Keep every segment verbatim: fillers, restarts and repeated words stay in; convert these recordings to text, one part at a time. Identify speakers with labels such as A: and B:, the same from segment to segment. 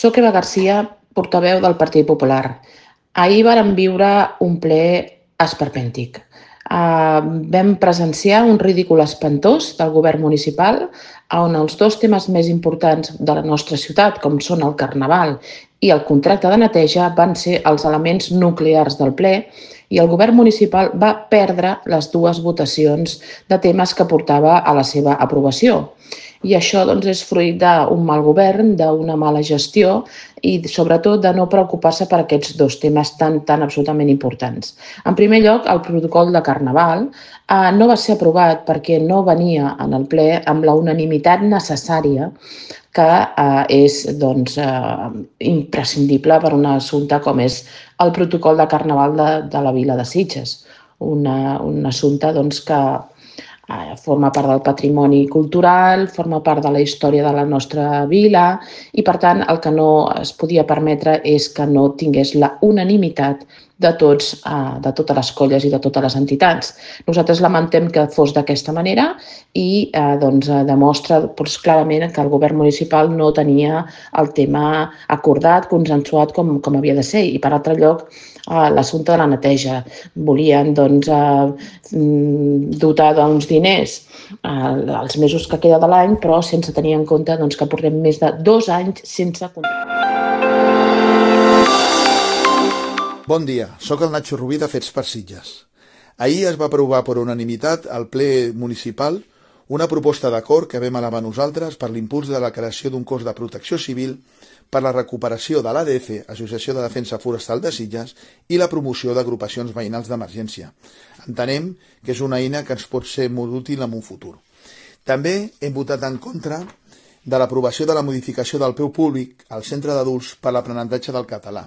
A: Soc Eva Garcia, portaveu del Partit Popular. Ahir vàrem viure un ple esperpèntic. Uh, vam presenciar un ridícul espantós del govern municipal on els dos temes més importants de la nostra ciutat, com són el Carnaval i el contracte de neteja, van ser els elements nuclears del ple i el govern municipal va perdre les dues votacions de temes que portava a la seva aprovació. I això doncs, és fruit d'un mal govern, d'una mala gestió i sobretot de no preocupar-se per aquests dos temes tan, tan absolutament importants. En primer lloc, el protocol de Carnaval eh, no va ser aprovat perquè no venia en el ple amb la unanimitat necessària que eh, és doncs, eh, imprescindible per un assumpte com és el protocol de Carnaval de, de la vila de Sitges. Una, un assumpte doncs, que forma part del patrimoni cultural, forma part de la història de la nostra vila i, per tant, el que no es podia permetre és que no tingués la unanimitat de, tots, de totes les colles i de totes les entitats. Nosaltres lamentem que fos d'aquesta manera i eh, doncs, demostra doncs, clarament que el govern municipal no tenia el tema acordat, consensuat com, com havia de ser. I, per altre lloc, eh, l'assumpte de la neteja. Volien doncs, eh, dotar d'uns diners eh, els mesos que queda de l'any, però sense tenir en compte doncs, que portem més de dos anys sense contracte.
B: Bon dia, sóc el Nacho Rubí de Fets per Sitges. Ahir es va aprovar per unanimitat al ple municipal una proposta d'acord que vam elevar nosaltres per l'impuls de la creació d'un cos de protecció civil per la recuperació de l'A D F, Associació de Defensa Forestal de Sitges, i la promoció d'agrupacions veïnals d'emergència. Entenem que és una eina que ens pot ser molt útil en un futur. També hem votat en contra de l'aprovació de la modificació del preu públic al centre d'adults per l'aprenentatge del català.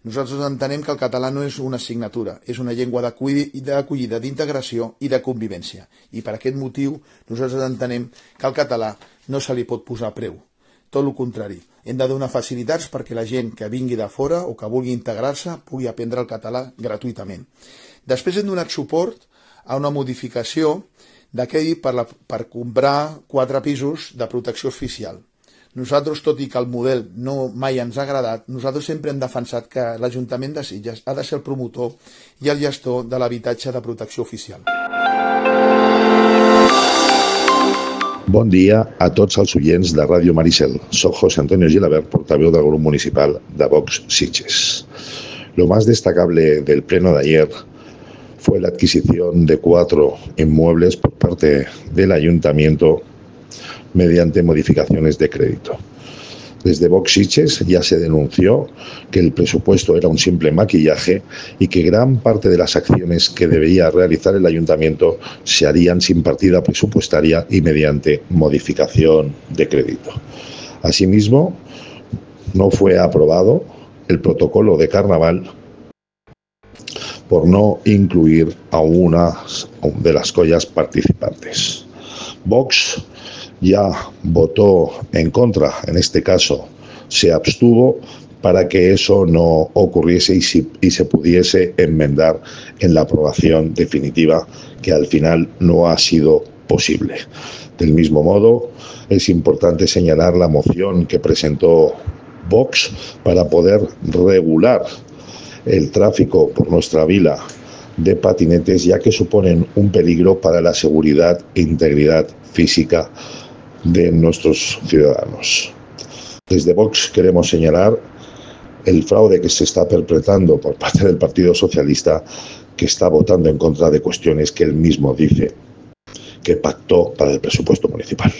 B: Nosaltres entenem que el català no és una assignatura, és una llengua d'acollida, d'integració i de convivència. I per aquest motiu nosaltres entenem que al català no se li pot posar preu. Tot el contrari, hem de donar facilitats perquè la gent que vingui de fora o que vulgui integrar-se pugui aprendre el català gratuïtament. Després hem donat suport a una modificació d'aquell per, la, per comprar quatre pisos de protecció oficial. Nosaltres, tot i que el model no mai ens ha agradat, nosaltres sempre hem defensat que l'Ajuntament de Sitges ha de ser el promotor i el gestor de l'habitatge de protecció oficial.
C: Bon dia a tots els oients de Ràdio Maricel. Soc José Antonio Gilabert, portaveu del Grup Municipal de Vox Sitges. Lo más destacable del pleno de ayer fue la adquisición de cuatro inmuebles por parte del Ayuntamiento mediante modificaciones de crédito. Desde Vox Sitges ya se denunció que el presupuesto era un simple maquillaje y que gran parte de las acciones que debía realizar el Ayuntamiento se harían sin partida presupuestaria y mediante modificación de crédito. Asimismo, no fue aprobado el protocolo de Carnaval por no incluir a una de las collas participantes. Vox ya votó en contra, en este caso se abstuvo para que eso no ocurriese y, si, y se pudiese enmendar en la aprobación definitiva, que al final no ha sido posible. Del mismo modo, es importante señalar la moción que presentó Vox para poder regular el tráfico por nuestra vila de patinetes, ya que suponen un peligro para la seguridad e integridad física de nuestros ciudadanos. Desde Vox queremos señalar el fraude que se está perpetrando por parte del Partido Socialista, que está votando en contra de cuestiones que él mismo dice que pactó para el presupuesto municipal.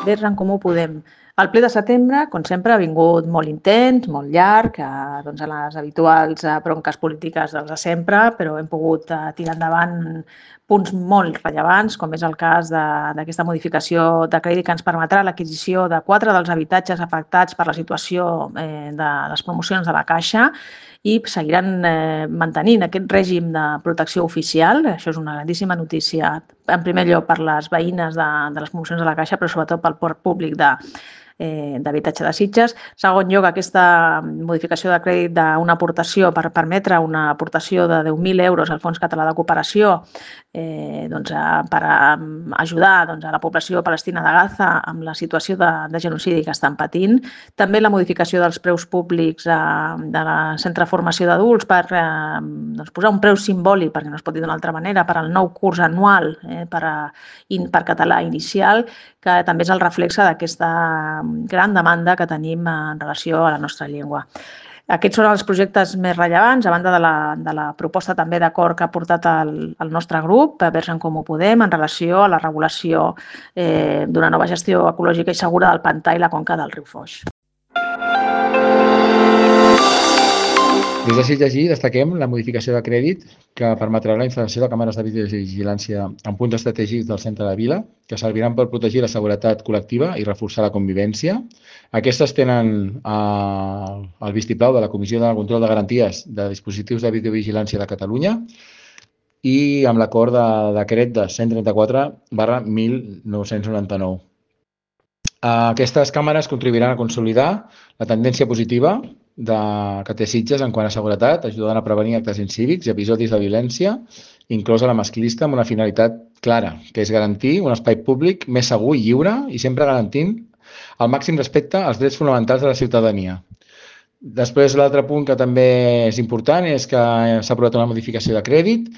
D: Des d'en Comú Podem. El ple de setembre, com sempre, ha vingut molt intens, molt llarg, eh, doncs a les habituals eh, bronques polítiques dels de sempre, però hem pogut eh, tirar endavant punts molt rellevants, com és el cas d'aquesta modificació de crèdit que ens permetrà l'adquisició de quatre dels habitatges afectats per la situació eh, de les promocions de la Caixa i seguiran eh, mantenint aquest règim de protecció oficial. Això és una grandíssima notícia, en primer lloc per les veïnes de, de les promocions de la Caixa, però sobretot pel port públic de d'habitatge de Sitges. Segon lloc, aquesta modificació de crèdit d'una aportació per permetre una aportació de deu mil euros al Fons Català de Cooperació eh, doncs, per ajudar doncs, a la població palestina de Gaza amb la situació de, de genocidi que estan patint. També la modificació dels preus públics eh, de la Centre de Formació d'Adults per eh, doncs, posar un preu simbòlic, perquè no es pot dir d'una altra manera, per al nou curs anual eh, per, a, in, per català inicial, que també és el reflexe d'aquesta gran demanda que tenim en relació a la nostra llengua. Aquests són els projectes més rellevants, a banda de la, de la proposta també d'acord que ha portat el, el nostre grup, Verds en Comú Podem, en relació a la regulació eh, d'una nova gestió ecològica i segura del pantà i la conca del riu Foix.
E: Des de Sitges i destaquem la modificació de crèdit que permetrà la instal·lació de càmeres de videovigilància en punts estratègics del centre de Vila, que serviran per protegir la seguretat col·lectiva i reforçar la convivència. Aquestes tenen eh, el vistiplau de la Comissió de Control de Garanties de Dispositius de Videovigilància de Catalunya i amb l'acord de decret de cent trenta-quatre barra mil nou-cents noranta-nou. Aquestes càmeres contribuiran a consolidar la tendència positiva de, que té Sitges en quant a seguretat, ajudant a prevenir actes incívics i episodis de violència, inclosa la masclista, amb una finalitat clara, que és garantir un espai públic més segur i lliure i sempre garantint el màxim respecte als drets fonamentals de la ciutadania. Després, l'altre punt que també és important és que s'ha aprovat una modificació de crèdit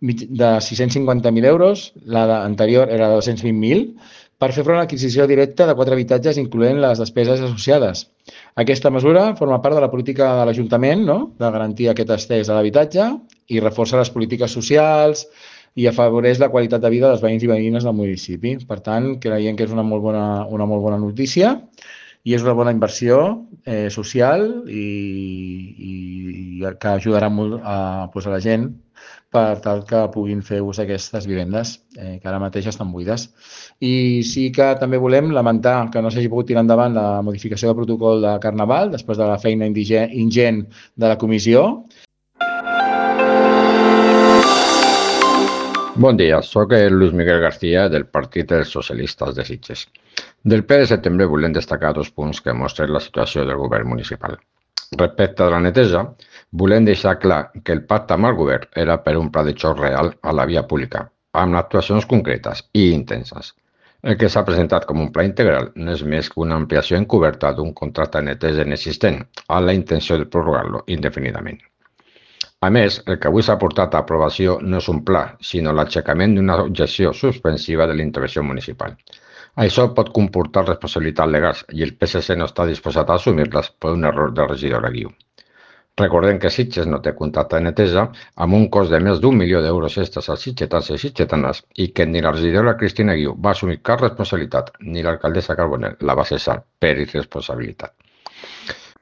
E: de sis-cents cinquanta mil euros, la anterior era de dos-cents vint mil, per fer front a l'adquisició directa de quatre habitatges, incloent les despeses associades. Aquesta mesura forma part de la política de l'Ajuntament, no?, de garantir aquest accés a l'habitatge i reforça les polítiques socials i afavoreix la qualitat de vida dels veïns i veïnes del municipi. Per tant, creiem que és una molt bona, una molt bona notícia i és una bona inversió eh, social i, i, i que ajudarà molt a, pues, a la gent per tal que puguin fer ús d'aquestes vivendes, eh, que ara mateix estan buides. I sí que també volem lamentar que no s'hagi pogut tirar endavant la modificació del protocol de Carnaval després de la feina ingent de la comissió.
F: Bon dia, soc el Luis Miguel García del Partit dels Socialistes de Sitges. Del ple de setembre volem destacar dos punts que mostren la situació del govern municipal. Respecte a la neteja, volem deixar clar que el pacte amb el govern era per un pla de xoc real a la via pública, amb actuacions concretes i intenses. El que s'ha presentat com un pla integral no és més que una ampliació encoberta d'un contracte de neteja inexistent, amb la intenció de prorrogar-lo indefinidament. A més, el que avui s'ha portat a aprovació no és un pla, sinó l'aixecament d'una objecció suspensiva de l'intervenció municipal. Això pot comportar responsabilitats legals i el P S C no està disposat a assumir-les per un error del regidor Aguiu. Recordem que Sitges no té contracte de neteja amb un cost de més d'un milió d'euros extres als sitgetans i sitgetanes i que ni la regidora Cristina Aguiu va assumir cap responsabilitat ni l'alcaldessa Carbonell la va cessar per irresponsabilitat.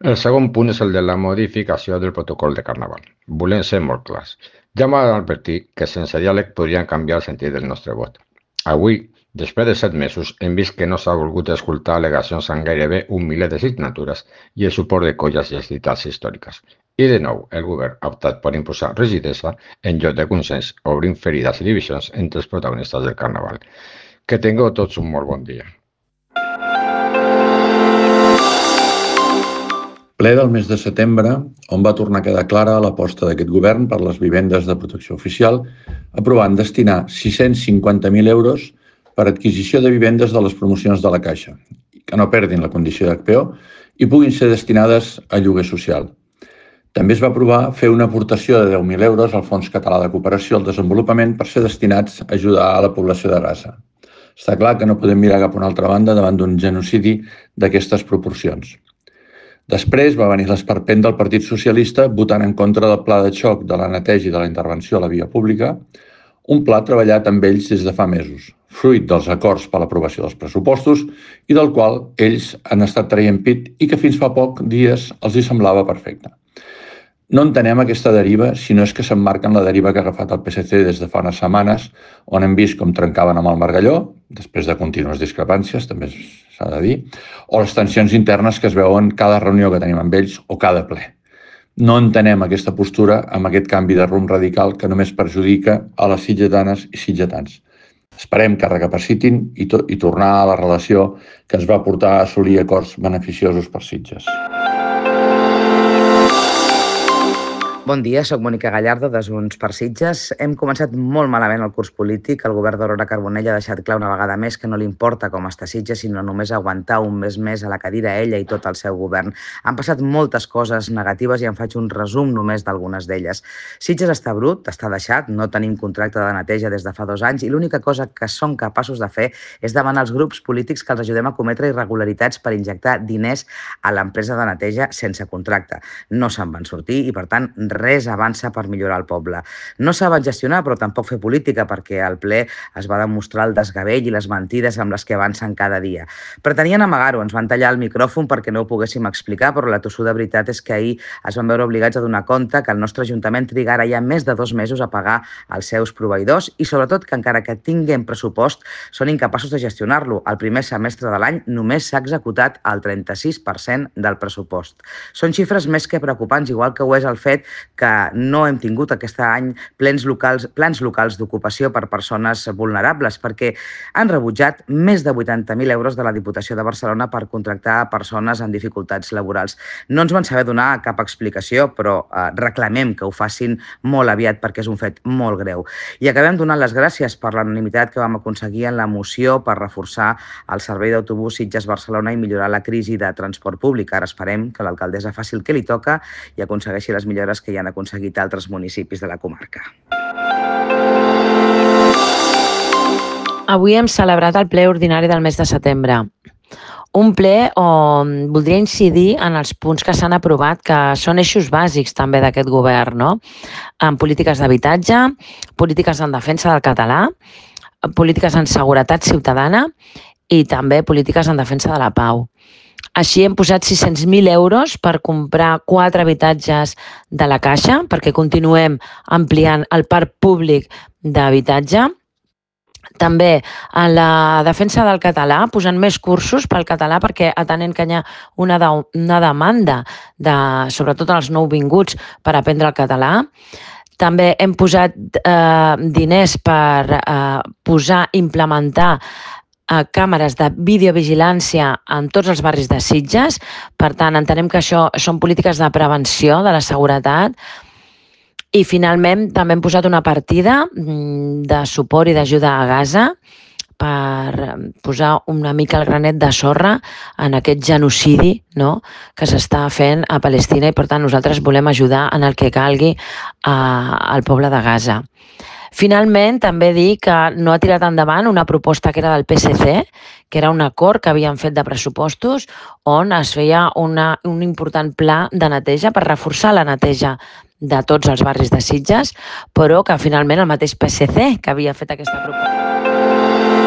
F: El segon punt és el de la modificació del protocol de Carnaval. Volem ser molt clars. Ja m'ha advertit que sense diàleg podrien canviar el sentit del nostre vot. Avui, després de set mesos, hem vist que no s'ha volgut escoltar al·legacions amb gairebé un miler de signatures i el suport de colles i entitats històriques. I de nou, el govern ha optat per imposar rigidesa en lloc de consens, obrint ferides i divisions entre els protagonistes del Carnaval. Que tingueu tots un molt bon dia.
G: Ple del mes de setembre, on va tornar a quedar clara l'aposta d'aquest govern per les vivendes de protecció oficial, aprovant destinar sis-cents cinquanta mil euros per adquisició de vivendes de les promocions de la Caixa, que no perdin la condició d'H P O i puguin ser destinades a lloguer social. També es va aprovar fer una aportació de deu mil euros al Fons Català de Cooperació al Desenvolupament per ser destinats a ajudar a la població de Gaza. Està clar que no podem mirar cap a una altra banda davant d'un genocidi d'aquestes proporcions. Després va venir l'esperpent del Partit Socialista votant en contra del pla de xoc de la neteja i de la intervenció a la via pública, un pla treballat amb ells des de fa mesos, fruit dels acords per l'aprovació dels pressupostos i del qual ells han estat traient pit i que fins fa poc dies els hi semblava perfecte. No entenem aquesta deriva si no és que s'emmarca en la deriva que ha agafat el P S C des de fa unes setmanes, on hem vist com trencaven amb el Margalló, després de contínues discrepàncies, també s'ha de dir, o les tensions internes que es veuen cada reunió que tenim amb ells o cada ple. No entenem aquesta postura amb aquest canvi de rumb radical que només perjudica a les sitgetanes i sitgetans. Esperem que recapacitin i, to i tornar a la relació que ens va portar a assolir acords beneficiosos per Sitges.
H: Bon dia, soc Mònica Gallardo, de Junts per Sitges. Hem començat molt malament el curs polític. El govern d'Aurora Carbonell ha deixat clar una vegada més que no li importa com està Sitges, sinó només aguantar un mes més a la cadira ella i tot el seu govern. Han passat moltes coses negatives i en faig un resum només d'algunes d'elles. Sitges està brut, està deixat, no tenim contracte de neteja des de fa dos anys i l'única cosa que són capaços de fer és demanar als grups polítics que els ajudem a cometre irregularitats per injectar diners a l'empresa de neteja sense contracte. No se'n van sortir i, per tant, res avança per millorar el poble. No saben gestionar, però tampoc fer política, perquè al ple es va demostrar el desgavell i les mentides amb les que avancen cada dia. Pretenien amagar-ho, ens van tallar el micròfon perquè no ho poguéssim explicar, però la tossuda veritat és que ahir es van veure obligats a donar compte que el nostre Ajuntament trigarà ja més de dos mesos a pagar els seus proveïdors i, sobretot, que encara que tinguin pressupost, són incapaços de gestionar-lo. El primer semestre de l'any només s'ha executat el trenta-sis per cent del pressupost. Són xifres més que preocupants, igual que ho és el fet que no hem tingut aquest any plans locals, plans locals d'ocupació per persones vulnerables, perquè han rebutjat més de vuitanta mil euros de la Diputació de Barcelona per contractar persones en dificultats laborals. No ens van saber donar cap explicació, però eh, reclamem que ho facin molt aviat perquè és un fet molt greu. I acabem donant les gràcies per l'anonimitat que vam aconseguir en la moció per reforçar el servei d'autobús Sitges-Barcelona i millorar la crisi de transport públic. Ara esperem que l'alcaldessa faci el que li toca i aconsegueixi les millores que hi han aconseguit altres municipis de la comarca.
I: Avui hem celebrat el ple ordinari del mes de setembre. Un ple on voldria incidir en els punts que s'han aprovat, que són eixos bàsics també d'aquest govern, no? En polítiques d'habitatge, polítiques en defensa del català, polítiques en seguretat ciutadana i també polítiques en defensa de la pau. Així hem posat sis-cents mil euros per comprar quatre habitatges de la Caixa, perquè continuem ampliant el parc públic d'habitatge. També en la defensa del català, posant més cursos pel català, perquè atenent que hi ha una, de, una demanda, de, sobretot als nouvinguts, per aprendre el català. També hem posat eh, diners per eh, posar, implementar a càmeres de videovigilància en tots els barris de Sitges. Per tant, entenem que això són polítiques de prevenció de la seguretat. I finalment també hem posat una partida de suport i d'ajuda a Gaza per posar una mica el granet de sorra en aquest genocidi, no?, que s'està fent a Palestina i, per tant, nosaltres volem ajudar en el que calgui a, al poble de Gaza. Finalment, també dir que no ha tirat endavant una proposta que era del P S C, que era un acord que havien fet de pressupostos on es feia una, un important pla de neteja per reforçar la neteja de tots els barris de Sitges, però que finalment el mateix P S C que havia fet aquesta proposta.